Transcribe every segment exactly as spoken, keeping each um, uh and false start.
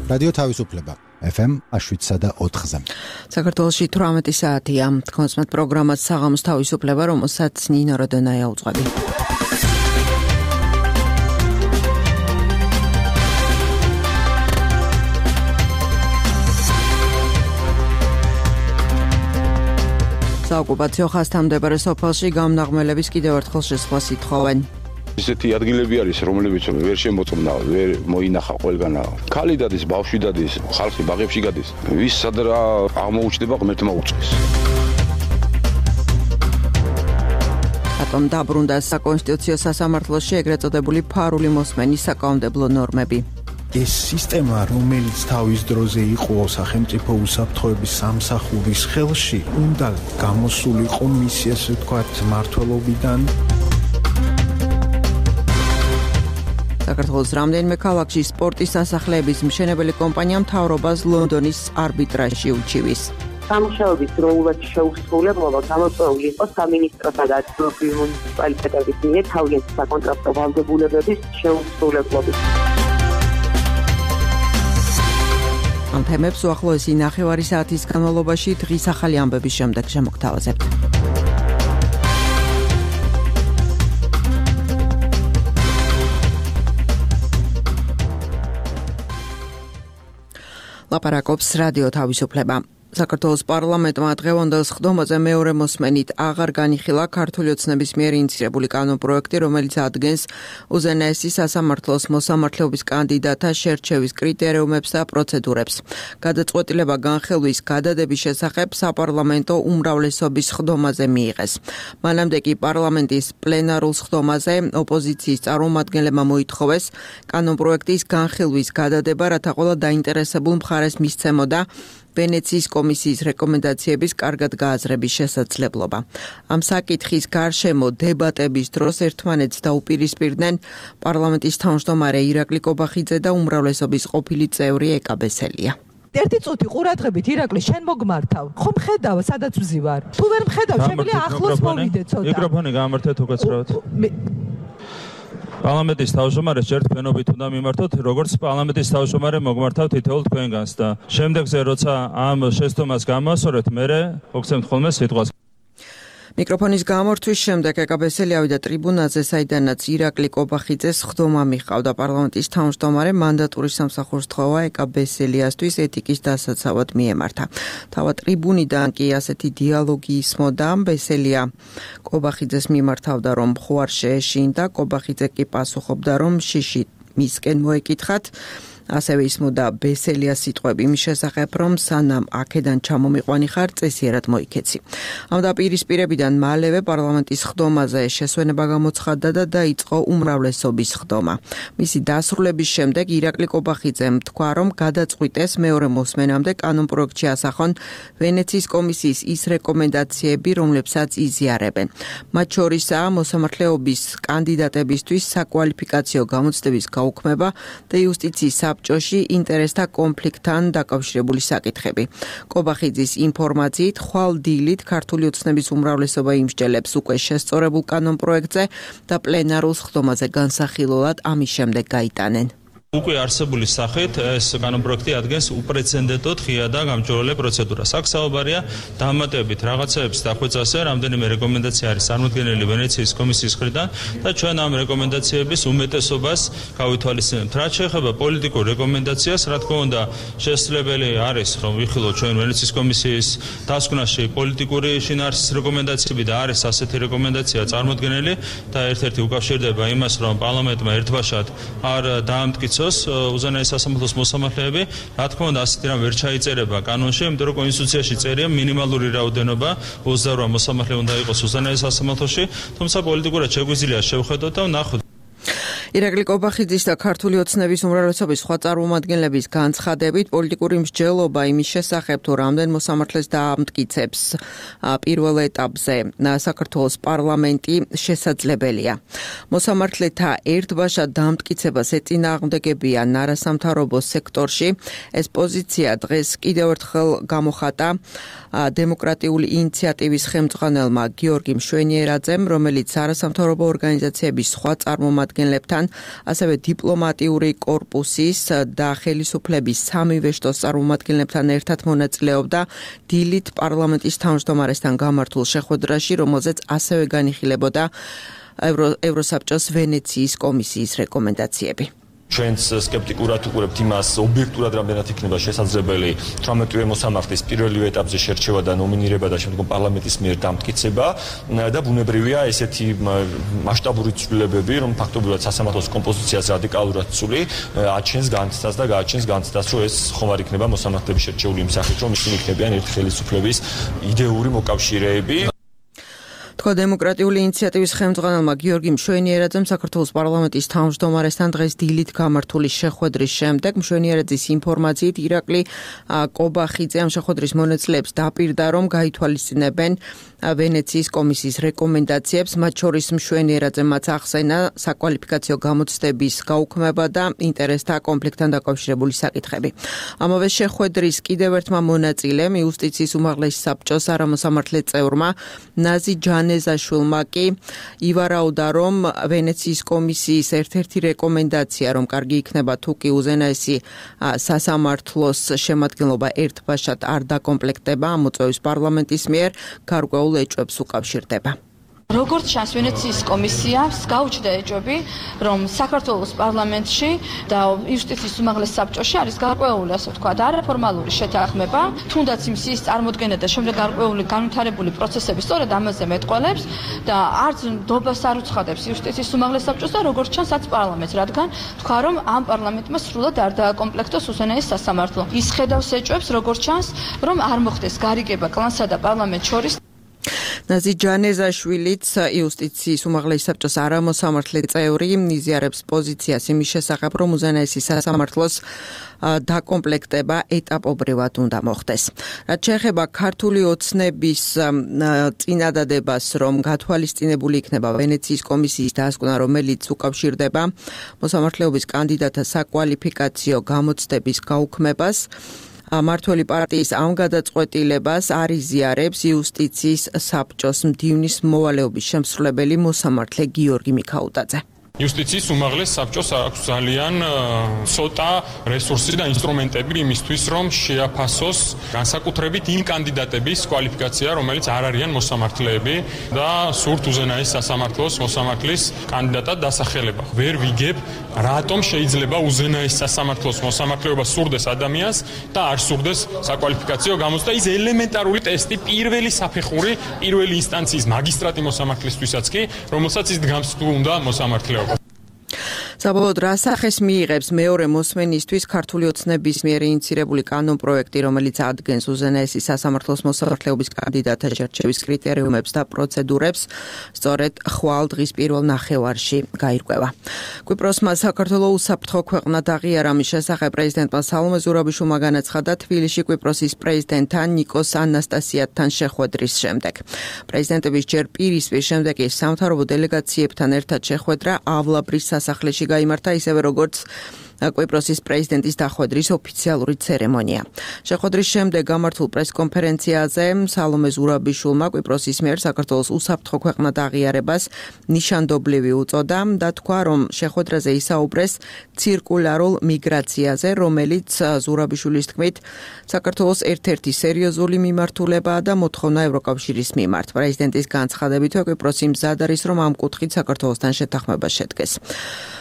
რადიო თავისუფლება ეფ ემ შვიდსა და ოთხზე. საქართველოში თვრამეტი საათია. თქვენსმეთ პროგრამას საღამოს თავისუფლება, რომელსაც ნინო როდენაია უძღვები. საოკუპაციო ხაზთან მდებარე სოფელში გამნაღმელების კიდევ ერთხელ შესვლას ითხოვენ. ისეთი ადგილები არის, რომლებიც ვერ შემოწმნა, ვერ მოინახა ყველგანა. ქალი დადის, ბავშვი დადის, ხალხი ბაღებში გადის. ვის სად რა აღმოუჩნდება, ღმერთმა უწყეს. რატომ დაბრუნდა საკონსტიტუციო სასამართლოში ეგრეთ წოდებული ფარული მოსმენის საკანონმდებლო ნორმები? ეს სისტემა, რომელიც თავის დროზე იყო სახელმწიფო უსაფრთხოების სამსახურის ხელში, უნდა გამოსულიყო მისი, ასე ვთქვათ, მმართველობიდან. საქართველოს რამდენიმე ქალაქში სპორტის სასახლეების მშენებელი კომპანია მთავრობას ლონდონის არბიტრაჟში უჩივის. სამუშაოების დროულად შეუსრულებლობა გამოწვეული იყო სამინისტროსა და ადგილობრივი მუნიციპალიტეტების მიერ თავიანთი საკონტრაქტო ვალდებულებების შეუსრულებლობით. ამ თემებს უახლოესი ნახევარი საათის განმავლობაში დღის ახალი ამბების შემდეგ შემოგთავაზებთ. ლაპარაკობს რადიო თავისუფლება. საქართველოს პარლამენტმა დღევანდელ სხდომაზე მეორე მოსმენით აღარ განიხილა ქართული ოცნების მიერ ინიცირებული კანონპროექტი, რომელიც ადგენს უზენაესი სასამართლოს მოსამართლეობის კანდიდატთა შერჩევის კრიტერიუმებს და პროცედურებს. გადაწყვეტილება განხილვის გადადების შესახებ საპარლამენტო უმრავლესობის სხდომაზე მიიღეს. მანამდე კი პარლამენტის პლენარულ სხდომაზე ოპოზიციის წარმომადგენლებმა მოითხოვეს კანონპროექტის განხილვის გადადება, რათა ყველა დაინტერესებულ მხარეს მისცემოდა ვენეციის კომისიის რეკომენდაციების კარგად გააზრების შესაძლებლობა. ამ საკითხის გარშემო დებატების დროს ერთმანეთს დაუპირისპირდნენ პარლამენტის თავმჯდომარე ირაკლი კობახიძე და უმრავლესობის ყოფილი წევრი ეკა ბესელია. ერთი წუთი ყურადღებით ირაკლი, შენ მოგმართავ. ხომ ხედავ, სადაც ვზივარ. თუ ვერ მხედავ, შემიძლია ახლოს მოვიდე ცოტა. მიკროფონი გამართეთ უკაცრავად. პარლამენტის თავმჯდომარეს ჯერ თქვენობით უნდა მიმართოთ, როგორც პარლამენტის თავმჯდომარე მოგმართავთ თითოეულ თქვენგანს და შემდეგზე როცა ამ შეცდომას გამოსწორეთ, მერე მოგცემთ ხოლმე სიტყვას. მიკროფონის გამორთვის შემდეგ ეკა ბესელი ავიდა ტრიბუნაზე, საიდანაც ირაკლი კობახიძეს სხდომა მიჰყავდა. პარლამენტის თავმჯდომარე მანდატური სამსახურს თხოვა ეკა ბესელიასთვის ეთიკის დასაცავად მიემართა. თავად ტრიბუნიდან კი ასეთი დიალოგი ისმოდა. ბესელია კობახიძეს მიმართავდა, რომ ხო არ შეეშინდა, კობახიძე კი პასუხობდა, რომ შიში მისკენ მოეკითხათ. ასევე ისმოდა ბესელიას სიტყვები იმის შესახებ, რომ სანამ აქედან ჩამომიყვანი ხარ, წესიერად მოიქეცი. ამ დაპირისპირებიდან მალევე პარლამენტის სხდომაზე შესვენება გამოცხადდა და დაიწყო უმრავლესობის სხდომა. მისი დასრულების შემდეგ ირაკლი კობახიძემ თქვა, რომ გადაწყვიტეს მეორე მოსმენამდე კანონპროექტში ასახონ ვენეციის კომისიის ის რეკომენდაციები, რომლებსაც იზიარებენ. მათ შორისაა მოსამართლეობის კანდიდატებისთვის საკვალიფიკაციო გამოცდების გაუქმება და იუსტიციის ჭოში ინტერესთა კონფლიქტთან დაკავშირებული საკითხები. კობახიძის ინფორმაციით, ხვალ დილით ქართული ოცნების უმრავლესობა იმსჯელებს უკვე შესწორებულ კანონპროექტზე და პლენარულ სხდომაზე განსახილულად ამის შემდეგ გაიტანენ. უკვე არსებული სახით ეს კანონპროექტი ადგენს უპრეცედენტოდ ღია და გამჭვირვალე პროცედურას. აქ საუბარია დამატებით რაღაცეების დახვეწაზე, რამდენიმე რეკომენდაცია არის წარმოდგენილი ვენეციის კომისიის მხრიდან და ჩვენ ამ რეკომენდაციების უმეტესობას გავითვალისწინებთ. რაც შეეხება პოლიტიკურ რეკომენდაციას, რა თქმა უნდა, შესაძლებელი არის, რომ ვიხილოთ ჩვენ ვენეციის კომისიის დასკვნაში პოლიტიკური შინაარსის რეკომენდაციები და არის ასეთი რეკომენდაცია წარმოდგენილი და ერთ-ერთი უკავშირდება იმას, რომ პარლამენტმა ერთბაშად არ დაამტკიცა უზენაესი სასამართლოს მოსამართლეები, რა თქმა უნდა, ასეთი რამ ვერ ჩაიწერება კანონში, იმიტომ რომ კონსტიტუციაში წერია მინიმალური რაოდენობა ოცდაორ მოსამართლე უნდა იყოს უზენაეს სასამართლოში, თუმცა პოლიტიკურად შეგვიძლია შევხედოთ და ვნახოთ. ირაკლი კობახიძის და ქართული ოცნების უმრავლესობის სხვა წარმომადგენლების განცხადებით, პოლიტიკური მსჯელობა იმის შესახებ, თუ რამდენ მოსამართლეს დაამტკიცებს პირველ ეტაპზე საქართველოს პარლამენტი შესაძლებელია. მოსამართლეთა ერთბაშად დაამტკიცებას ეწინააღმდეგებიან არასამთავრობო სექტორში. ეს პოზიცია დღეს კიდევ ერთხელ გამოხატა დემოკრატიული ინიციატივის ხელმძღვანელმა გიორგი მშვენიერაძემ, რომელიც არასამთავრობო ორგანიზაციების სხვა წარმომადგენლებთან მეთაურებთან, ასევე დიპლომატიური კორპუსის და ხელისუფლების სამივე შტოს წარმომადგენლებთან ერთად მონაწილეობდა დილით პარლამენტის თავმჯდომარესთან გამართულ შეხვედრაში, რომელზეც ასევე განიხილებოდა ევროსაბჭოს ვენეციის კომისიის რეკომენდაციები. ჩვენც სკეპტიკურად ვუყურებთ იმას, ობიექტურად რამდენად იქნება შესაძლებელი თვრამეტივე მოსამართლის პირველივე ეტაპზე შერჩევა და ნომინირება და შემდგომ პარლამენტის მიერ დამტკიცება და ბუნებრივია ესეთი მასშტაბური ცვლილებები, რომ ფაქტობრივად სასამართლოს კომპოზიციას რადიკალურად ცული აჩენს განცდას და გააჩენს განცდას, რომ ეს ხომ არ იქნება მოსამართლების შერჩეული იმ სახით, რომ ისინი იქნებიან ერთი ხელისუფლების იდეური მოკავშირეები. თქვა დემოკრატიული ინიციატივის ხელმძღვანელმა გიორგი მშვენიერაძემ საქართველოს პარლამენტის თავმჯდომარესთან დღეს დილით გამართული შეხვედრის შემდეგ. მშვენიერაძის ინფორმაციით ირაკლი კობახიძე ამ შეხვედრის მონაწილეებს დაპირდა, რომ გაითვალისწინებენ ვენეციის კომისიის რეკომენდაციებს, მათ შორის მშვენიერაძემაც ახსენა საკვალიფიკაციო გამოცდების გაუქმება და ინტერესთა კონფლიქტთან დაკავშირებული საკითხები. ამავე შეხვედრის კიდევ ერთმა მონაწილემ იუსტიციის უმაღლესი საბჭოს არამოსამართლე წევრმა ნაზი ჯანეზაშვილმა კი ივარაუდა, რომ ვენეციის კომისიის ერთ-ერთი რეკომენდაცია, რომ კარგი იქნება თუ კი უზენაესი სასამართლოს შემადგენლობა ერთბაშად არ დაკომპლექტება, ამოწევის პარლამენტის მიერ გარკვეულ ეჭვებს უკავშირდება. როგორც ჩანს, ვენეციის კომისიას გაუჩნდა ეჭვები, რომ საქართველოს პარლამენტში და იუსტიციის უმაღლეს საბჭოში არის გარკვეული, ასე ვთქვათ, არაფორმალური შეთანხმება, თუნდაც იმ სიის წარმოდგენა და შემდეგ გარკვეული განვითარებული პროცესები სწორედ ამაზე მეტყველებს და არც დობას არ უცხადებს იუსტიციის უმაღლეს საბჭოს და როგორც ჩანს, არც პარლამენტს, რადგან თქვა, რომ ამ პარლამენტმა სრულად არ დააკომპლექტოს უზენაეს სასამართლო. ის ხედავს ეჭვებს, როგორც ჩანს, რომ არ მოხდეს გარიგება კლანსა და პარლამენტ შორის. ნაზი ჯანეზაშვილიც იუსტიციის უმაღლესი საბჭოს არამოსამართლე წევრი იზიარებს პოზიციას იმის შესახებ, რომ უზენაესი სასამართლოს დაკომპლექტება ეტაპობრივად უნდა მოხდეს. რაც შეეხება ქართული ოცნების წინადადებას, რომ გათვალისწინებული იქნება ვენეციის კომისიის დასკვნა, რომელიც უკავშირდება მოსამართლეობის კანდიდატთა საკვალიფიკაციო გამოცდების გაუქმებას, მართველი პარტიის ამ გადაწყვეტილებას არ იზიარებს იუსტიციის საბჭოს მდივნის მოვალეობის შემსრულებელი მოსამართლე გიორგი მიქაუტაძე. იუსტიციის უმაღლეს საბჭოს აქვს ძალიან ცოტა რესურსი და ინსტრუმენტები იმისთვის, რომ შეაფასოს განსაკუთრებით იმ კანდიდატების კვალიფიკაცია, რომელიც არ არიან მოსამართლეები და სურთ უზენაეს სასამართლოს მოსამართლის კანდიდატად დასახელება. ვერ ვიგებ, რატომ შეიძლება უზენაეს სასამართლოს მოსამართლეობა სურდეს ადამიანს და არ სურდეს საკვალიფიკაციო გამოცდა. ის ელემენტარული ტესტი პირველი საფეხური, პირველი ინსტანციის მაგისტრატი მოსამართლისთვისაც კი, რომელსაც ის დგამს თუ უნდა მოსამართლეობა. საბოლოოდ რა სახეს მიიღებს მეორე მოსმენისთვის ქართული ოცნების მიერ ინიცირებული კანონპროექტი, რომელიც ადგენს უზენაესი სასამართლოს მოსამართლეობის კანდიდატთა შერჩევის კრიტერიუმებს და პროცედურებს, სწორედ ხვალ დღის პირველ ნახევარში გაირკვევა. კვიპროსმა საქართველოს უსაფრთხო ქვეყნად აღიარა, მის შესახებ პრეზიდენტმა სალომე ზურაბიშვილმა განაცხადა თბილისში კვიპროსის პრეზიდენტთან ნიკოს ანასტასიათთან შეხვედრის შემდეგ. პრეზიდენტების ჯერ პირისპირ, შემდეგ კი სამთავრობო დელეგაციებთან ერთად შეხვედრა ავლაბრის სასახლეში გაიმართა, ისევე როგორც კვიპროსის პრეზიდენტის დახვედრის ოფიციალური ცერემონია. შეხვედრის შემდეგ გამართულ პრესკონფერენციაზე სალომე ზურაბიშვილმა კვიპროსის მიერ საქართველოს უსაფრთხო ქვეყნად აღიარებას ნიშანდობლივი უწოდა და თქვა, რომ შეხვედრაზე ისაუბრეს ცირკულარულ მიგრაციაზე, რომელიც ზურაბიშვილის თქმით საქართველოს ერთ-ერთი სერიოზული მიმართულებაა და მოთხოვნა ევროკავშირის მიმართ. პრეზიდენტის განცხადებითვე კვიპროსი მზად არის, რომ ამ კუთხით საქართველოსთან შეთანხმება შედგეს.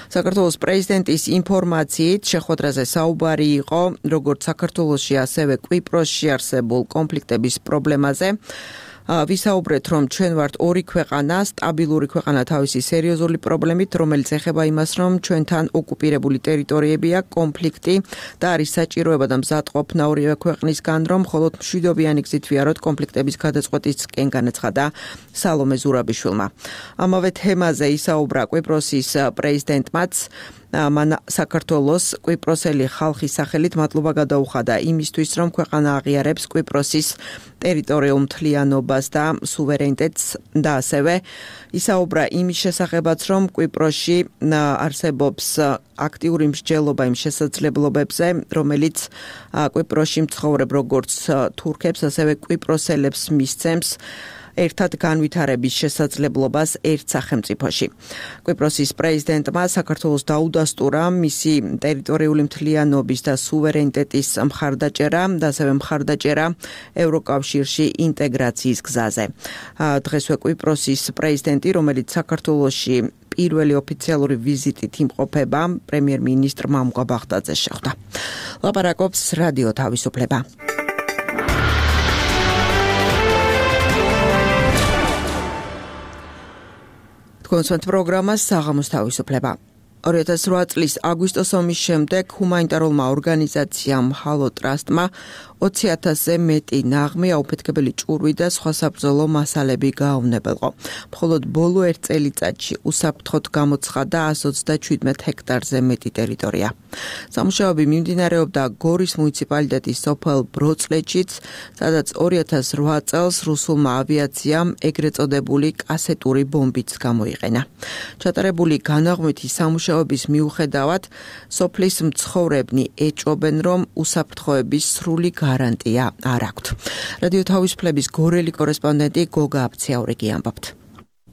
საქართველოს პრეზიდენტის ინფორმაციით შეხვედრაზე საუბარი იყო როგორც საქართველოში, ასევე კვიპროსში არსებულ კონფლიქტების პრობლემაზე. ვისაუბრეთ, რომ ჩვენ ვართ ორი ქვეყანა, სტაბილური ქვეყანა თავისი სერიოზული პრობლემით, რომელიც ეხება იმას, რომ ჩვენთან ოკუპირებული ტერიტორიები აქვს, კონფლიქტი და არის საჭიროება და მზადყოფნა ორივე ქვეყნისგან, რომ მხოლოდ მშვიდობიანი გზით ვიაროთ კონფლიქტების გადაწყვეტისკენ, განაცხადა სალომე ზურაბიშვილმა. ამავე თემაზე ისაუბრა კვიპროსის პრეზიდენტმაც. მან საქართველოს კვიპროსელი ხალხის სახელით მადლობა გადაუხადა იმისთვის, რომ ქვეყანა აღიარებს კვიპროსის ტერიტორიულ მთლიანობას და სუვერენიტეტს და ასევე ისაუბრა იმის შესახებაც, რომ კვიპროსში არსებობს აქტიური მსჯელობა იმ შესაძლებლობებზე, რომელიც კვიპროსში მცხოვრებ როგორც თურქებს, ასევე კვიპროსელებს მისცემს ერთად განვითარების შესაძლებლობას ერთ სახელმწიფოში. კვიპროსის პრეზიდენტმა საქართველოს დაუდასტურა მისი ტერიტორიული მთლიანობის და სუვერენიტეტის მხარდაჭერა და ასევე მხარდაჭერა ევროკავშირში ინტეგრაციის გზაზე. დღესვე კვიპროსის პრეზიდენტი, რომელიც საქართველოში პირველი ოფიციალური ვიზიტით იმყოფება, პრემიერ-მინისტრ მამუკა ბაღდაძე შეხვდა. ლაპარაკობს რადიო თავისუფლება. კონსერტ პროგრამა საღამოს თავისუფლება. ორი ათას რვა წლის აგვისტოს ომის შემდეგ ჰუმანიტარულმა ორგანიზაციამ ჰალო ტრასტმა ოცი ათასზე მეტი ნაღმი, აუფეთქებელი ჭურვი და სხვა საბრძოლო მასალები გაავნებელყო. მხოლოდ ბოლო ერთ წელიწადში უსაფრთხოდ გამოცხადა ასი ოცდაშვიდ ჰექტარზე მეტი ტერიტორია. სამუშაოები მიმდინარეობდა გორის მუნიციპალიტეტის სოფელ ბროცლეთშიც, სადაც ორი ათას რვა წელს რუსულმა ავიაციამ ეგრეთ წოდებული კასეტური ბომბიც გამოიყენა. ჩატარებული განაღმვითი სამუშაოების მიუხედავად, სოფლის მცხოვრებნი ეჭვობენ, რომ უსაფრთხოების სრული გარანტია არ აქვთ. რადიო თავისუფლების გორელი კორესპონდენტი გოგა აფციაურიგი ამბობთ.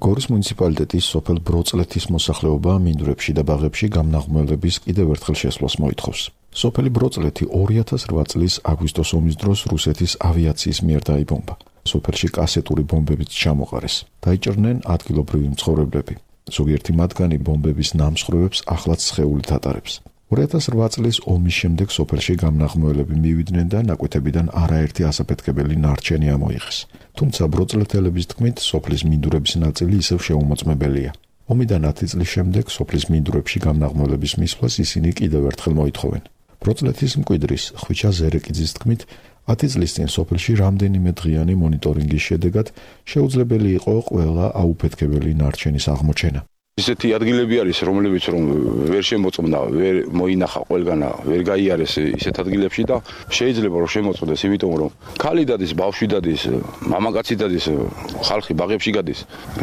გორის მუნიციპალიტეტის სოფელ ბროცლეთის მოსახლეობა მინდვრებში და ბაღებში გამნაღმველების კიდევ ერთხელ შესვლას მოითხოვს. სოფელი ბროცლეთი ორი ათას რვა წლის აგვისტოს ომის დროს რუსეთის ავიაციის მიერ დაიბომბა. სოფელში კასეტური ბომბებიც ჩამოყარეს. დაიჭრნენ ადგილობრივი მცხოვრებლები. ზოგიერთი მათგანი ბომბების ნამსხვრევებს ახლაც სხეულით ატარებს. ორი ათას რვა წლის ომის შემდეგ სოფელში გამნაღმველები მივიდნენ და ნაკვეთებიდან არაერთი ასაფეთქებელი ნარჩენი ამოიღეს. თუმცა ბროცლეთელების თქმით, სოფლის მინდვრების ნაწილი ისევ შეუმოწმებელია. ომიდან ათი წლის შემდეგ სოფლის მინდვრებში გამნაღმველების მისვლას ისინი კიდევ ერთხელ მოითხოვენ. ბროცლეთის მკვიდრის ხვიჩა ზერეკიძის თქმით, ათი წლის წინ სოფელში რამდენიმე დღიანი მონიტორინგის შედეგად შეუძლებელი იყო ყველა აუფეთქებელი ნარჩენის აღმოჩენა. ისეთი ადგილები არის, რომლებიც რომ ვერ შემოწმდა, ვერ მოინახა ყველგანა, ვერ გაიარეს ისეთ ადგილებში და შეიძლება რომ შემოწმდეს, იმიტომ რომ ქალი დადის, ბავშვი დადის, მამაკაცი დადის, ხალხი ბაღებში გადის.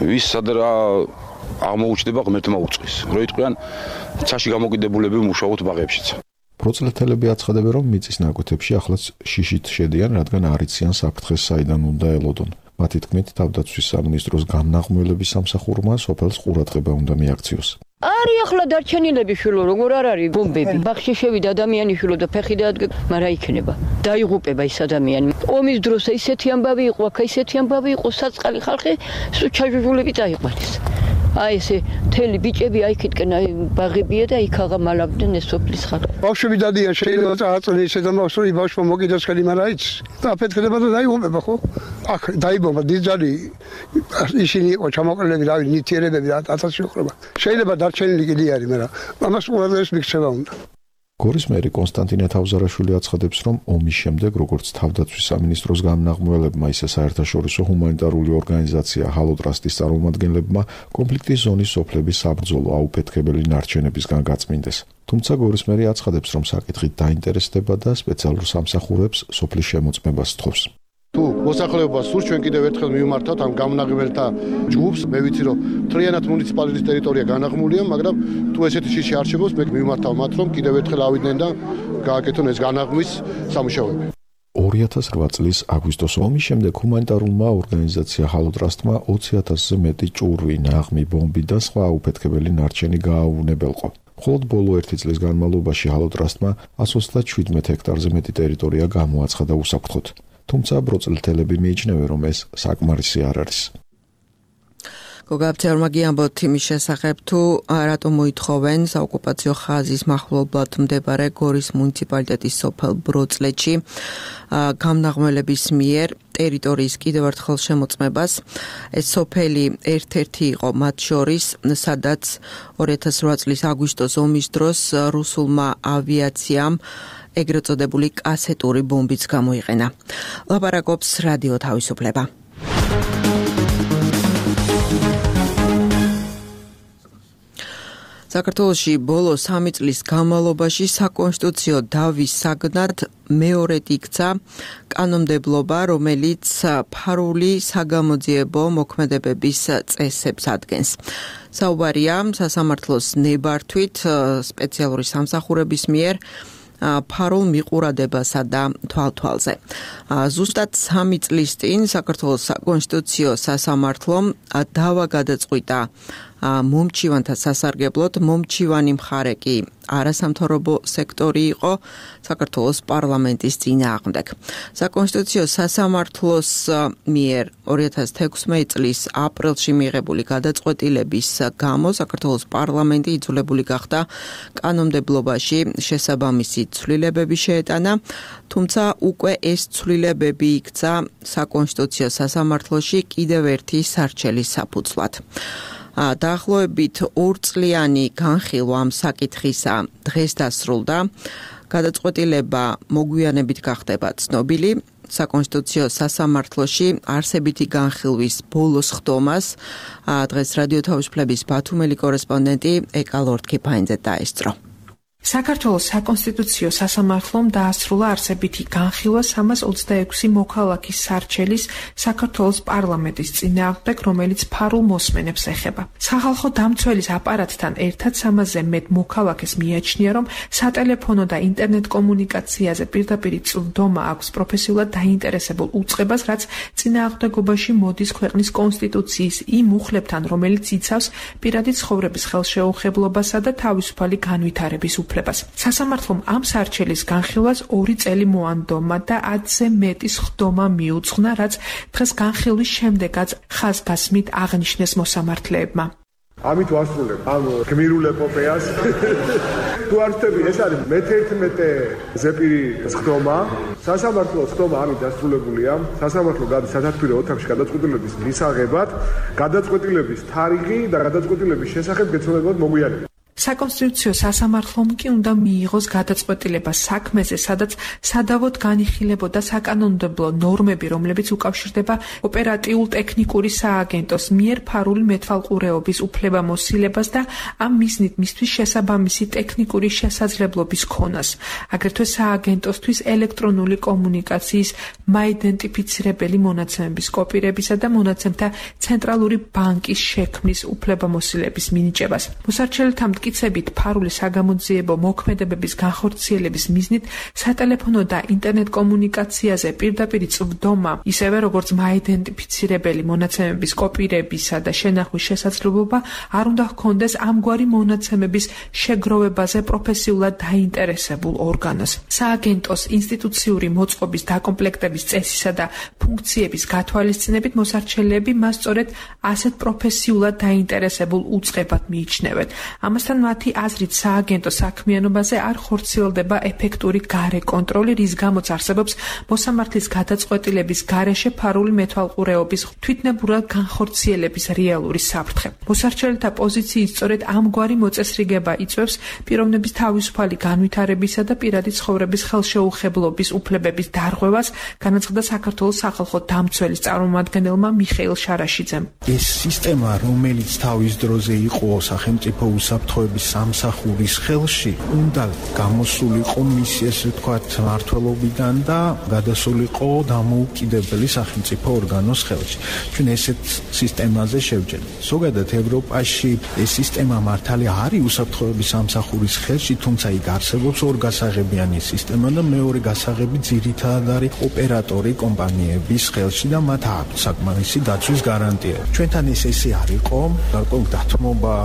ვის სად რა აღმოუჩნდება ღმერთმა უწყის. რო იტყვიან, ცაში გამოკიდებულები მუშაობთ ბაღებშიც. ბროცლეთელები აცხადებენ, რომ მიწის ნაკვეთებში ახლაც შიშით შედიან, რადგან არ იციან საფრთხეს საიდან უნდა ელოდონ. მათი თქმით, თავდაცვის სამინისტროს გამნაღმველების სამსახურმა სოფელს ყურადღება უნდა მიაქციოს. არი ახლა დარჩენილები შულო, როგორ არ არის ბომბები. ბაღში შევიდა ადამიანი შულო და ფეხი დაადგა, მაგრამ იქნება. დაიღუპება ის ადამიანი. ომის დროს ისეთი ამბავი იყო, აქ ისეთი ამბავი იყო, საწყალი ხალხი ჩაჟუჟულები დაიყვანეს. აი ესე თელი ბიჭები აიქითკენ აი ბაღებია და იქ აღამალავდნენ ეს სოფლის ხალხი. ბავშვები დადიან შეიძლება წააწნეს ესედა მასური ბავშვი მოგიდოს ხელი მაგრამ აიც და აფეთქდება და დაიღუპება ხო? აქ დაიბომბა დიძალი ისინი იყო ჩამოყალიბებული რავი ნივთიერებები ათასი უხრება. შეიძლება დარჩენილი კიდე არის მაგრამ ამას უბრალოდ მიქცევა უნდა. გორის მერი კონსტანტინე თავზარაშვილი აცხადებს, რომ ომის შემდეგ როგორც თავდაცვის სამინისტროს გამნაღმველებმა, ისე საერთაშორისო ჰუმანიტარული ორგანიზაცია ჰალო ტრასტის წარმომადგენლებმა კონფლიქტის ზონის სოფლების საბრძოლო აუფეთქებელი ნარჩენებისგან გაწმინდეს. თუმცა გორის მერი აცხადებს, რომ საკითხით დაინტერესდება და სპეციალურ სამსახურებს სოფლის შემოწმებას სთხოვს. თუ მოსახლეობას სურს ჩვენ კიდევ ერთხელ მივმართავთ ამ გამნაღმველთა ჯგუფს, მე ვიცი რომ მთლიანად მუნიციპალიტეტის ტერიტორია განაღმულია, მაგრამ თუ ესეთი შიში არ შემოს, მე მივმართავ მათ რომ კიდევ ერთხელ ავიდნენ და გააკეთონ ეს განაღმვის სამუშაოები. ორი ათას რვა წლის აგვისტოს ომის შემდეგ ჰუმანიტარულმა ორგანიზაცია ჰალო ტრასტმა ოცი ათასზე მეტი ჭურვი, ნაღმი, ბომბი და სხვა აუფეთქებელი ნარჩენი გააუვნებელყო. მხოლოდ ბოლო ერთი წლის განმავლობაში ჰალო ტრასტმა ასი ოცდაშვიდ ჰექტარზე მეტი ტერიტორია გამოაცხადა უსაფრთხოდ. თუმცა ბროცლეთელები მიიჩნევენ, რომ ეს საკმარისი არ არის. გოგაფცეურმა გიამბოთ იმის შესახებ, თუ რატომ მოითხოვენ საოკუპაციო ხაზის მახლობლად მდებარე გორის მუნიციპალიტეტის სოფელ ბროცლეთში გამნაღმველების მიერ ტერიტორიის კიდევ ერთხელ შემოწმებას. ეს სოფელი ერთ-ერთი იყო მათ შორის, სადაც ორი ათას რვა წლის აგვისტოს ომის დროს რუსულმა ავიაციამ ეგრეთ წოდებული კასეტური ბომბიც გამოიყენა. ლაპარაკობს რადიო თავისუფლება. საქართველოში ბოლო სამი წლის განმავლობაში საკონსტიტუციო დავის საგნად მეორედ იქცა კანონმდებლობა, რომელიც ფარული საგამოძიებო მოქმედებების წესებს ადგენს. საუბარია სასამართლოს ნებართვით სპეციალური სამსახურების მიერ ფარულ მიყურადებასა და თვალთვალზე. ზუსტად სამი წლის წინ საქართველოს საკონსტიტუციო სასამართლომ დავა გადაწყვიტა მომჩივანთა სასარგებლოდ. მომჩივანი მხარე კი არასამთავრობო სექტორი იყო საქართველოს პარლამენტის წინააღმდეგ. საკონსტიტუციო სასამართლოს მიერ ორი ათას თექვსმეტი წლის აპრილში მიღებული გადაწყვეტილების გამო საქართველოს პარლამენტი იძულებული გახდა კანონმდებლობაში შესაბამისი ცვლილებები შეეტანა, თუმცა უკვე ეს ცვლილებები იქცა საკონსტიტუციო სასამართლოში კიდევ ერთი სარჩელის საფუძვლად. დაახლოებით ორწლიანი განხილვა ამ საკითხისა დღეს დასრულდა. გადაწყვეტილება მოგვიანებით გახდება ცნობილი. საკონსტიტუციო სასამართლოში არსებითი განხილვის ბოლოს ხდომას დღეს რადიო თავისუფლების ბათუმელი კორესპონდენტი ეკა ლორდ-კიფაინძე დაესწრო. საქართველოს საკონსტიტუციო სასამართლომ დაასრულა არსებითი განხილვა სამას ოცდაექვსი მოქალაქის სარჩელის საქართველოს პარლამენტის წინააღმდეგ, რომელიც ფარულ მოსმენებს ეხება. სახალხო დამცველის აპარატთან ერთად სამასზე მეტ მოქალაქეს მიაჩნია, რომ სატელეფონო და ინტერნეტ კომუნიკაციაზე პირდაპირ წვდომა აქვს პროფესიულად დაინტერესებულ უწყებას, რაც წინააღმდეგობაში მოდის ქვეყნის კონსტიტუციის იმ მუხლებთან, რომელიც იცავს პირადი ცხოვრების ხელშეუხებლობასა და თავისუფალი განვითარების უფლებას. სასამართლომ ამ სარჩელის განხილვას ორი წელი მოანდომა და ათზე მეტი სხდომა მიუძღვნა, რაც დღეს განხილვის შემდეგაც ხაზგასმით აღნიშნეს მოსამართლეებმა. ამით ვასრულებ ამ გმირულ ეპოპეას. თუ არ ვთქვი, ეს არის მეთერთმეტე ზეპირი სხდომა. სასამართლო სხდომა ამით დასრულებულია. სასამართლო სათათბირო ოთახში გადაწყვეტილების მისაღებად, გადაწყვეტილების თარიღი და გადაწყვეტილების შესახებ გეცნობათ მოგვიანებით. საკონსტიტუციო სასამართლომ კი უნდა მიიღოს გადაწყვეტილება საქმეზე, სადაც სადავოდ განიხილებოდა საკანონმდებლო ნორმები, რომლებიც უკავშირდება ოპერატიულ ტექნიკური სააგენტოს მიერ ფარული მეთვალყურეობის უფლებამოსილებას და ამ მიზნით მისთვის შესაბამისი ტექნიკური შესაძლებლობის ქონას. აგრეთვე სააგენტოსთვის ელექტრონული კომუნიკაციის მაიდენტიფიცირებელი მონაცემების კოპირებისა და მონაცემთა ცენტრალური ბანკის შექმნის უფლებამოსილების მინიჭებას. მოსარჩელთა მტკიცებით ფარული საგამოძიებო მოქმედებების განხორციელების მიზნით სატელეფონო და ინტერნეტ კომუნიკაციაზე პირდაპირ წვდომა, ისევე როგორც მაიდენტიფიცირებელი მონაცემების კოპირებისა და შენახვის შესაძლებლობა არ უნდა ჰქონდეს ამგვარი მონაცემების შეგროვებაზე პროფესიულად დაინტერესებულ ორგანოს. სააგენტოს ინსტიტუციური მოწყობის დაკომპლექტების წესისა და ფუნქციების გათვალისწინებით მოსარჩელეები მას სწორედ ასეთ პროფესიულად დაინტერესებულ უწყებად მიიჩნევენ. ამასთან მათი აზრით სააგენტო საქმიანობაზე არ ხორციელდება ეფექტური გარე კონტროლი, რის გამოც არსებობს მოსამართლის გადაწყვეტილების გარეშე ფარული მეთვალყურეობის თვითნებურად განხორციელების რეალური საფრთხე. მოსარჩელთა პოზიციით სწორედ ამგვარი მოწესრიგება იწვევს პიროვნების თავისუფალი განვითარებისა და პირადი ცხოვრების ხელშეუხებლობის უფლებების დარღვევას, განაცხადა საქართველოს სახალხო დამცველის წარმომადგენელმა მიხეილ შარაშიძემ. ეს სისტემა, რომელიც თავის დროზე იყო სახელმწიფო უსაფრთხოების სამსახურის ხელში, უნდა გამოსულიყო მის ესე ვთქვათ მმართველობიდან და გადასულიყო დამოუკიდებელი სახელმწიფო ორგანოს ხელში. ჩვენ ესეთ სისტემაზე შევჯერთ. ზოგადად ევროპაში ეს სისტემა მართალი არის უსაფრთხოების სამსახურის ხელში, თუმცა იქ არსებობს ორგასაღებიანი სისტემა და მეორე გასაღები ძირითადად არის ოპერატორი კომპანიების ხელში და მათ აქვს საკმარისი დაცვის გარანტიები. ჩვენთან ეს ესე არ იყო, გარკვეულ დათმობა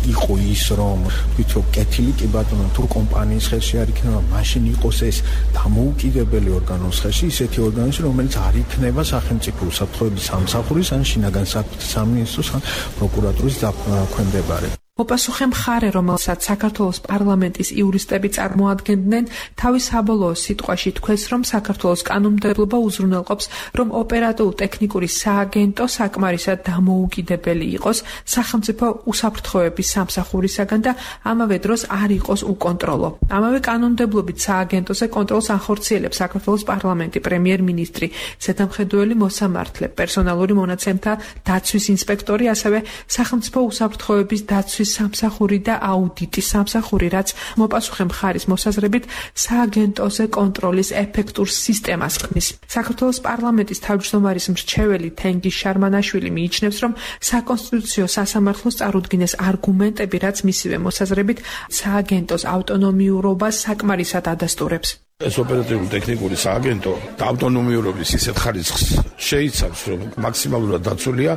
იყო ის, რომ თვითონ კეთილი კი ბატონო თუ კომპანიის ხელში არ იქნება, მაშინ იყოს ეს დამოუკიდებელი ორგანოს ხელში, ისეთი ორგანოები, რომელიც არ იქნება სახელმწიფო უსაფრთხოების სამსახურის ან შინაგან საქმეთა სამინისტროს ან პროკურატურის დაქვემდებარე. მოპასუხე მხარე, რომელსაც საქართველოს პარლამენტის იურისტები წარმოადგენდნენ, თავის საბოლოო სიტყვაში თქვეს, რომ საქართველოს კანონმდებლობა უზრუნველყოფს, რომ ოპერატიულ-ტექნიკური სააგენტო საკმარისად დამოუკიდებელი იყოს სახელმწიფო უსაფრთხოების სამსახურისაგან და ამავე დროს არ იყოს უკონტროლო. ამავე კანონმდებლობით სააგენტოზე კონტროლს ახორციელებს საქართველოს პარლამენტი, პრემიერ-მინისტრი, ზედამხედველი მოსამართლე, პერსონალური მონაცემთა დაცვის ინსპექტორი, ასევე სახელმწიფო უსაფრთხოების დაცვის საკონსტიტუციის სამსახური და აუდიტის სამსახური, რაც მოპასუხე მხარის მოსაზრებით სააგენტოზე კონტროლის ეფექტურ სისტემას ხმის. საქართველოს პარლამენტის თავმჯდომარის მრჩეველი თენგიზ შარმანაშვილი მიიჩნევს, რომ საკონსტიტუციო სასამართლოს წარუდგინეს არგუმენტები, რაც მისივე მოსაზრებით სააგენტოს ავტონომიურობას საკმარისად ადასტურებს. ეს ოპერატიული ტექნიკური სააგენტო ავტონომიურობის ისეთ ხარისხს შეიცავს, რომ მაქსიმალურად დაცულია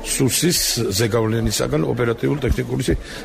სუსის ზეგავლენისაგან ოპერატიული ტექნიკური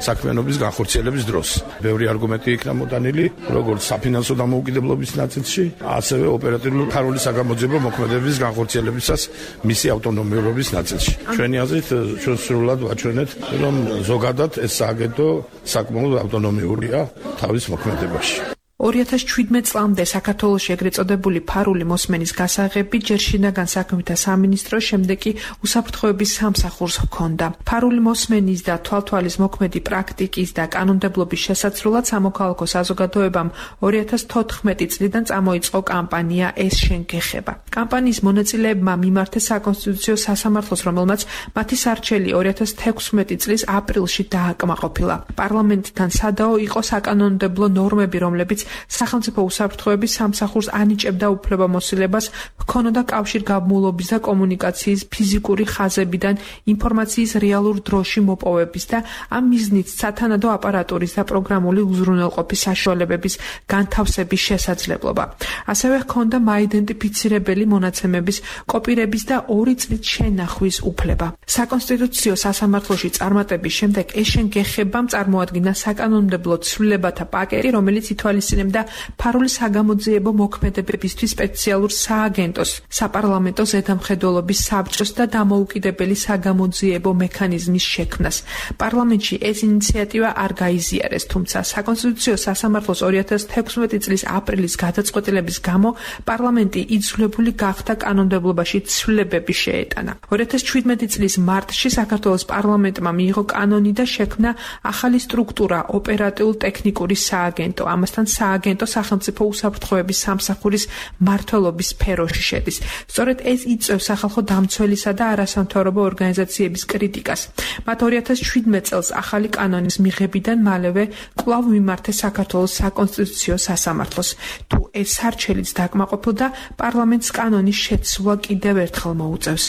საქმიანობის განხორციელების დროს. ბევრი არგუმენტი იქნა მოტანილი, როგორც საფინანსო დამოუკიდებლობის ნაწილში, ასევე ოპერატიული ფარული საგამოძიებო მოქმედებების განხორციელებისას მისი ავტონომიურობის ნაწილში. ჩვენი აზრით, ჩვენ სრულად ვაჩვენეთ, რომ ზოგადად ეს სააგენტო საკმაოდ ავტონომიურია თავის მოქმედებაში. ორი ათას შვიდმეტ წლამდე საქართველოში ეგრეთ წოდებული ფარული მოსმენის გასაღები ჯერ შინაგან საქმეთა სამინისტროს, შემდეგ კი უსაფრთხოების სამსახურს ჰქონდა. ფარული მოსმენის და თვალთვალის მოქმედი პრაქტიკის და კანონმდებლობის შესაცრულად სამოქალაქო საზოგადოებამ ორი ათას თოთხმეტი წლიდან წამოიწყო კამპანია ეს შენ გეხება. კამპანიის მონაწილეებმა მიმართეს საკონსტიტუციო სასამართლოს, რომელმაც მათი სარჩელი ორი ათას თექვსმეტი წლის აპრილში დააკმაყოფილა. პარლამენტთან სადაო იყო საკანონმდებლო ნორმები, რომლებიც სახელმწიფო უსაფრთხოების სამსახურს ანიჭებდა უფლებამოსილებას ჰქონოდა კავშირგაბმულობის და კომუნიკაციის ფიზიკური ხაზებიდან ინფორმაციის რეალურ დროში მოპოვების და ამ მიზნით სათანადო აპარატურის და პროგრამული უზრუნველყოფის საშუალებების განთავსების შესაძლებლობა. ასევე ჰქონდა მაიდენტიფიცირებელი მონაცემების კოპირების და ორი წლით შენახვის უფლება. საკონსტიტუციო სასამართლოში წარმატების შემდეგ ეს შენ გეხებამ წარმოადგინა საკანონმდებლო ცვლილებათა პაკეტი, რომელიც ითვალისწინებდა და ფარული საგამოძიებო მოქმედებებისთვის სპეციალურ სააგენტოს, საპარლამენტო ზედამხედველობის საბჭოს და დამოუკიდებელი საგამოძიებო მექანიზმის შექმნას. პარლამენტში ეს ინიციატივა არ გაიზიარეს, თუმცა საკონსტიტუციო სასამართლოს ორი ათას თექვსმეტი წლის აპრილის გადაწყვეტილების გამო პარლამენტი იძულებული გახდა კანონმდებლობაში ცვლილებები შეეტანა. ორი ათას შვიდმეტი წლის მარტში საქართველოს პარლამენტმა მიიღო კანონი და შექმნა ახალი სტრუქტურა ოპერატიულ-ტექნიკური სააგენტო. ამასთან სააგენტო სახელმწიფო უსაფრთხოების სამსახურის მმართველობის სფეროში შედის. სწორედ ეს იწვევს სახალხო დამცველისა და არასამთავრობო ორგანიზაციების კრიტიკას. მათ ორი ათას შვიდმეტ წელს ახალი კანონის მიღებიდან მალევე კვლავ მიმართეს საქართველოს საკონსტიტუციო სასამართლოს. თუ ეს სარჩელიც დაკმაყოფილდა, პარლამენტს კანონის შეცვლა კიდევ ერთხელ მოუწევს.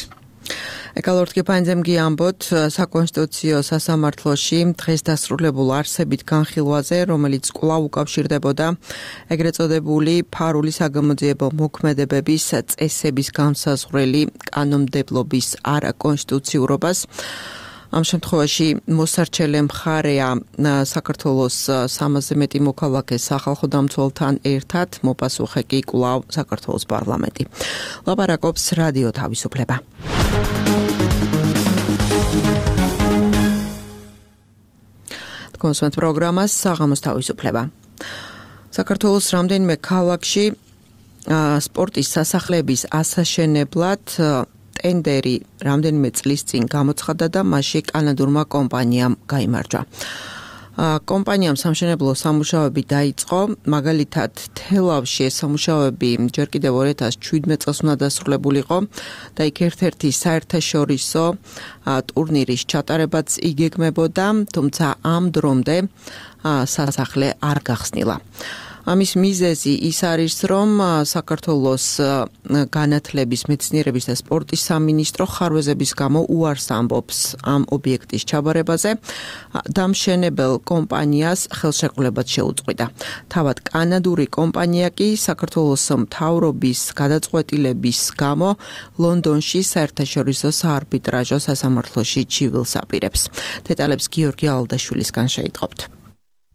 ეკალორტკი პანძემგი ამბოთ საკონსტიტუციო სასამართლოში დღეს დასრულებულ არსებით განხილვაზე, რომელიც კვლავ უკავშირდებოდა ეგრეთ წოდებული ფარული საგამოძიებო მოქმედებების წესების განსაზღვრელი კანონმდებლობის არაკონსტიტუციურობას. ამ შემთხვევაში მოსარჩელე მხარეა საქართველოს სამასზე მეტი მოქალაქე სახალხო დამცველთან ერთად, მოპასუხე კი კვლავ საქართველოს პარლამენტი. ლაპარაკობს რადიო თავისუფლება. კონსვენტ პროგრამას საღამოს თავისუფლება. საქართველოს რამდენიმე ქალაქში სპორტის სასახლეების ასაშენებლად ტენდერი რამდენიმე წლის წინ გამოცხადდა და მასში კანადურმა კომპანიამ გაიმარჯვა. კომპანიამ სამშენებლო სამუშაოები დაიწყო, მაგალითად თელავში ეს სამუშაოები ჯერ კიდევ ორი ათას შვიდმეტ წელს უნდა დასრულებულიყო და იქ ერთ-ერთი საერთაშორისო ტურნირის ჩატარებაც იგეგმებოდა, თუმცა ამ დრომდე სასახლე არ გახსნილა. ამის მიზეზი ის არის, რომ საქართველოს განათლების, მეცნიერების და სპორტის სამინისტრო ხარვეზების გამო უარს ამბობს ამ ობიექტის ჩაბარებაზე. დამშენებელ კომპანიას ხელშეკრულებაც შეუწყვიტა. თავად კანადური კომპანია კი საქართველოს მთავრობის გადაწყვეტილების გამო ლონდონში საერთაშორისო საარბიტრაჟო სასამართლოში ჩივილს აპირებს. დეტალებს გიორგი ალდაშვილისგან შეიტყობთ.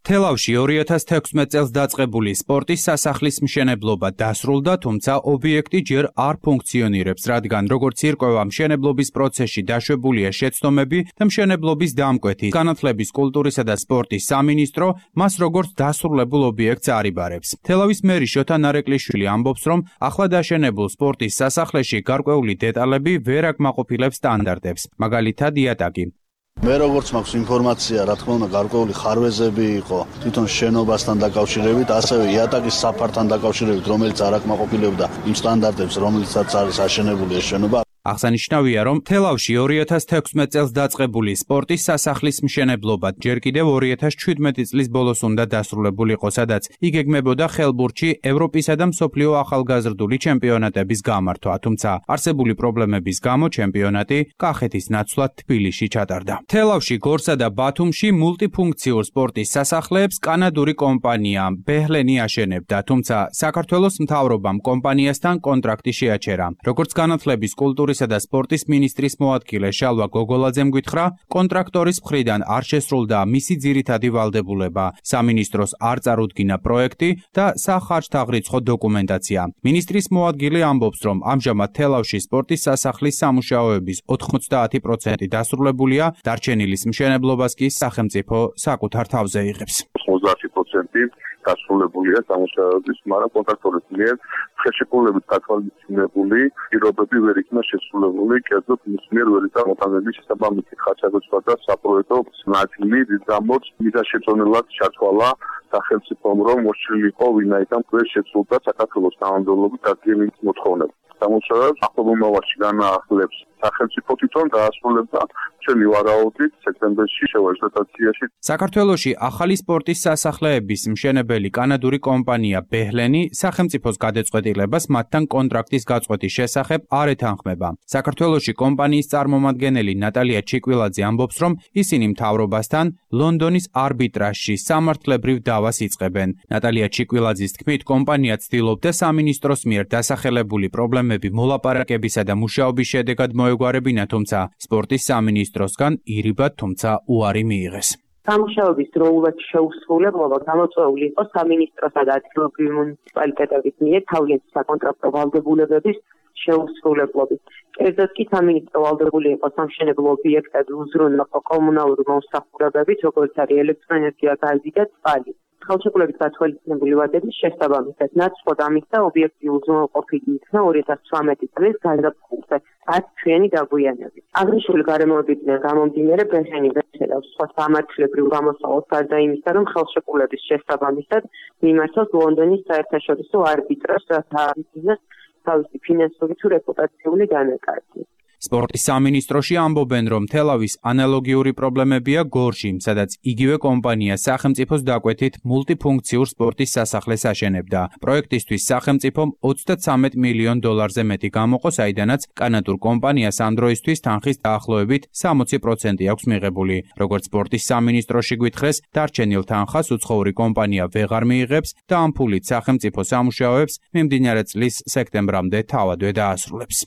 თელავში ორი ათას თექვსმეტ წელს დაწყებული სპორტის სასახლის მშენებლობა დასრულდა, თუმცა ობიექტი ჯერ არ ფუნქციონირებს, რადგან როგორც ირკვევა მშენებლობის პროცესში დაშვებულია შეცდომები და მშენებლობის დამკვეთი. განათლების, კულტურისა და სპორტის სამინისტრო მას როგორც დასრულებულ ობიექტს არიბარებს. თელავის მერი შოთა ნარეკვლიშვილი ამბობს, რომ ახლა დაშენებულ სპორტის სასახლეში გარკვეული დეტალები ვერ აკმაყოფილებს სტანდარტებს, მაგალითად იატაკი. მე როგორც მაქვს ინფორმაცია, რა თქმა უნდა, გარკვეული ხარვეზები იყო თვითონ შენობასთან დაკავშირებით, ასევე იატაკის საფართან დაკავშირებით, რომელიც არ აკმაყოფილებდა იმ სტანდარტებს, რომლითაც არის აშენებული ეს შენობა. აღსანიშნავია, რომ თელავში ორი ათას თექვსმეტ წელს დაწყებული სპორტის სასახლის მშენებლობა ჯერ კიდევ ორი ათას ჩვიდმეტი წლის ბოლოს უნდა დასრულებულიყო, სადაც იგეგმებოდა ხელბურთში ევროპისა და მსოფლიო ახალგაზრდული ჩემპიონატების გამართვა, თუმცა არსებული პრობლემების გამო ჩემპიონატი კახეთის ნაცვლად თბილისში ჩატარდა. თელავში, გორსა და ბათუმში მულტიფუნქციურ სპორტის სასახლეებს კანადური კომპანია ბეჰლენი აშენებდა, თუმცა საქართველოს მთავრობამ კომპანიასთან კონტრაქტი შეაჩერა. როგორც განათლების, კულტურისა და სპორტის მინისტრის მოადგილე შალვა გოგოლაძემ გითხრა, კონტრაქტორის მხრიდან არ შესრულდა მისი ძირითადი ვალდებულება. სამინისტროს არ წარუდგინა პროექტი და სახარჯთაღრიცხო დოკუმენტაცია. მინისტრის მოადგილე ამბობს, რომ ამჟამად თელავში სპორტის სასახლის სამუშაოების ოთხმოცდაათი პროცენტი დასრულებულია, დარჩენილის მშენებლობას კი სახელმწიფო საკუთარ თავზე იღებს. ოცდაათი პროცენტი დასრულებულია სამუშაოების, მაგრამ კონტრაქტორის მიერ ხელშეკრულებით გათვალისწინებული პირობები ვერ იქნა შესრულებული, კერძოდ მის მიერ ვერ იქნა მოტანების შესაბამისი ხარჯაგოჩვა და საპროექტო ნაწილი, რის გამოც მიზანშეწონილად ჩათვალა სახელმწიფომ, რომ მოსჭრილიყო ვინაიდან ვერ შეცვლოდა საქართველოს კანონმდებლობის დადგენის მოთხოვნება. სამუშაოებს ახლობელ მომავალში განაახლებს სახელმწიფო თვითონ დაასრულებდა ჩვენი ვარაუდით სექტემბერში შევაჟდაციაში. საქართველოში ახალი სპორტის სასახლეების მშენებელი კანადური კომპანია ბეჰლენი სახელმწიფოს გადაწყვეტილებას მათთან კონტრაქტის გაწყვეტის შესახებ არ ეთანხმება. საქართველოში კომპანიის წარმომადგენელი ნატალია ჩიკვილაძე ამბობს, რომ ისინი მთავრობასთან ლონდონის არბიტრაჟში სამართლებრივ დავას იწყებენ. ნატალია ჩიკვილაძის თქმით, კომპანია ცდილობდა სამინისტროს მიერ დასახელებული პრობლემები მოლაპარაკებისა და მუშაობის შედეგად მოეგვარებინა, თუმცა სპორტის სამინისტროსგან ირიბად, თუმცა უარი მიიღეს. სამუშაოების დროულად შეუსრულებლობა გამოწვეული იყო სამინისტროსა და ადგილობრივი მუნიციპალიტეტების მიერ თავიანთი საკონტრაქტო ვალდებულებების შეუსრულებლობით. კერძოდ კი სამინისტრო ვალდებული იყო სამშენებლო ობიექტები უზრუნველყო კომუნალური მომსახურებებით, როგორც არის ელექტროენერგია, გაზი და წყალი. ხელშეკრულებით გათვალისწინებული ვადების შესაბამისად ნაცვლად ამისა ობიექტი უზრუნველყოფილი იქნა ორი ათას ცხრამეტი წლის გაზაფხულზე ათ ჩვენი დაგვიანებით. აღნიშნული გარემოებიდან გამომდინარე ბეჰლენი ვეცელავს სხვა სამართლებრივ გამოსავალს გარდა იმისა, რომ ხელშეკრულების შესაბამისად მიმართავს ლონდონის საერთაშორისო არბიტრაჟს, რათა აღიძინოს თავისი ფინანსური თუ რეპუტაციული დანაკარგი. სპორტის სამინისტროში ამბობენ, რომ თელავის ანალოგიური პრობლემებია გორში, სადაც იგივე კომპანია სახელმწიფოს დაკვეთით მულტიფუნქციურ სპორტის სასახლეს აშენებდა. პროექტისთვის სახელმწიფომ ოცდათრამეტ მილიონ დოლარზე მეტი გამოყო, საიდანაც კანადურ კომპანიას ამ დროისთვის თანხის დაახლოებით სამოცი პროცენტი აქვს მიღებული. როგორც სპორტის სამინისტროში გვითხრეს, დარჩენილ თანხას უცხოური კომპანია ვეღარ მიიღებს და ამ ფულით სახელმწიფო სამუშაოებს მიმდინარე წლის სექტემბრამდე თავადვე დაასრულებს.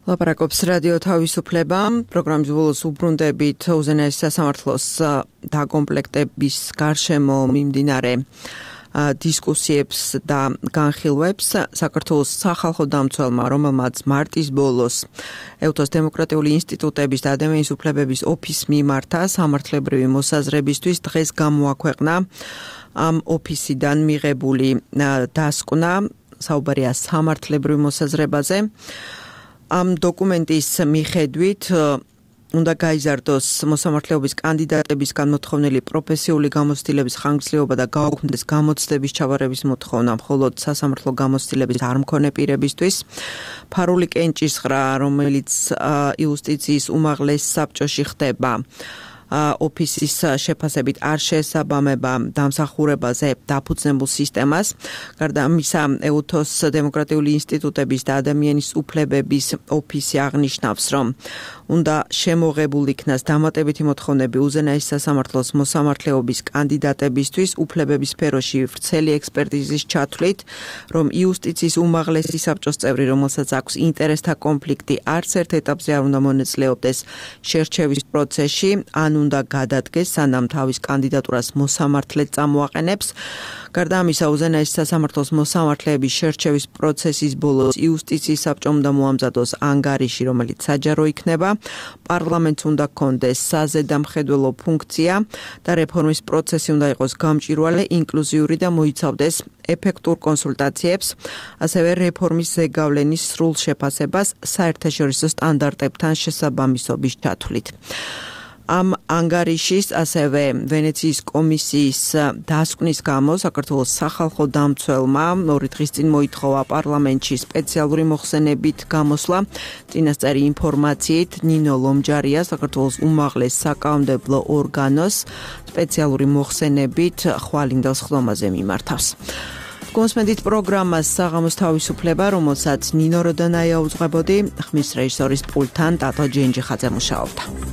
ლაპარაკობს რადიო თავისუფლება. პროგრამის ბოლოს უბრუნდებით უზენაეს სასამართლოს დაკომპლექტების გარშემო მიმდინარე დისკუსიებს და განხილვებს. საქართველოს სახალხო დამცველმა, რომელმაც მარტის ბოლოს ეუთოს დემოკრატიული ინსტიტუტების და ადამიანის უფლებების ოფისს მიმართა სამართლებრივი მოსაზრებისთვის, დღეს გამოაქვეყნა ამ ოფისიდან მიღებული დასკვნა, საუბარია სამართლებრივ მოსაზრებაზე. ამ დოკუმენტის მიხედვით უნდა გაიზარდოს მოსამართლეობის კანდიდატებისგან მოთხოვნილი პროფესიული გამოცდილების ხანგრძლივობა და გაუქმდეს გამოცდების ჩაბარების მოთხოვნა მხოლოდ სასამართლო გამოცდილების არ მქონე პირებისთვის. ფარული კენჭისყრა, რომელიც იუსტიციის უმაღლეს საბჭოში ხდება, ოფისის შეფასებით არ შეესაბამება დამსახურებაზე დაფუძნებულ სისტემას. გარდა ამისა, ეუთოს დემოკრატიული ინსტიტუტების და ადამიანის უფლებების ოფისი აღნიშნავს, რომ უნდა შემოღებულ იქნას დამატებითი მოთხოვნები უზენაეს სასამართლოს მოსამართლეობის კანდიდატებისთვის უფლებების სფეროში ვრცელი ექსპერტიზის ჩათვლით, რომ იუსტიციის უმაღლესი საბჭოს წევრი, რომელსაც აქვს ინტერესთა კონფლიქტი, არც ერთ ეტაპზე არ უნდა მონაწილეობდეს შერჩევის პროცესში, ან უნდა გადადგეს, სანამ თავის კანდიდატურას მოსამართლედ წამოაყენებს. გარდა ამისა, უზენაეს სასამართლოს მოსამართლეების შერჩევის პროცესის ბოლოს იუსტიციის საბჭომ უნდა მოამზადოს ანგარიში, რომელიც საჯარო იქნება. პარლამენტს უნდა ჰქონდეს საზედამხედველო ფუნქცია და რეფორმის პროცესი უნდა იყოს გამჭვირვალე, ინკლუზიური და მოიცავდეს ეფექტურ კონსულტაციებს, ასევე რეფორმის ზეგავლენის სრულ შეფასებას საერთაშორისო სტანდარტებთან შესაბამისობის ჩათვლით. ამ ანგარიშის, ასევე ვენეციის კომისიის დასკვნის გამო საქართველოს სახალხო დამცველმა ორი დღის წინ მოითხოვა პარლამენტში სპეციალური მოხსენებით გამოსვლა. წინასწარი ინფორმაციით ნინო ლომჯარია საქართველოს უმაღლეს საკანონმდებლო ორგანოს სპეციალური მოხსენებით ხვალინდელ სხდომაზე მიმართავს. გონსმენდით პროგრამას საღამოს თავისუფლება, რომელსაც ნინო როდანაია უძღვებოდი, ხმის რეჟისორის პულტთან ტატო ჯენჯიხაძე მუშაობდა.